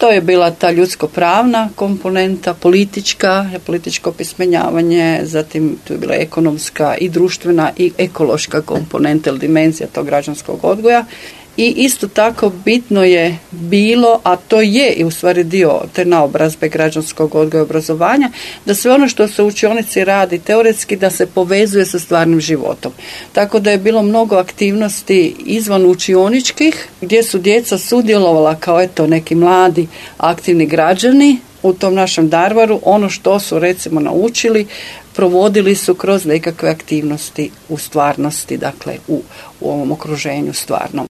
To je bila ta ljudsko-pravna komponenta, političko opismenjavanje, zatim tu je bila ekonomska i društvena i ekološka komponenta ili dimenzija tog građanskog odgoja. I isto tako bitno je bilo, a to je i u stvari dio te naobrazbe građanskog odgoja i obrazovanja, da sve ono što se u učionici radi teoretski da se povezuje sa stvarnim životom. Tako da je bilo mnogo aktivnosti izvan učioničkih gdje su djeca sudjelovala kao neki mladi aktivni građani u tom našem Darvaru. Ono što su recimo naučili provodili su kroz nekakve aktivnosti u stvarnosti, dakle u ovom okruženju stvarnom.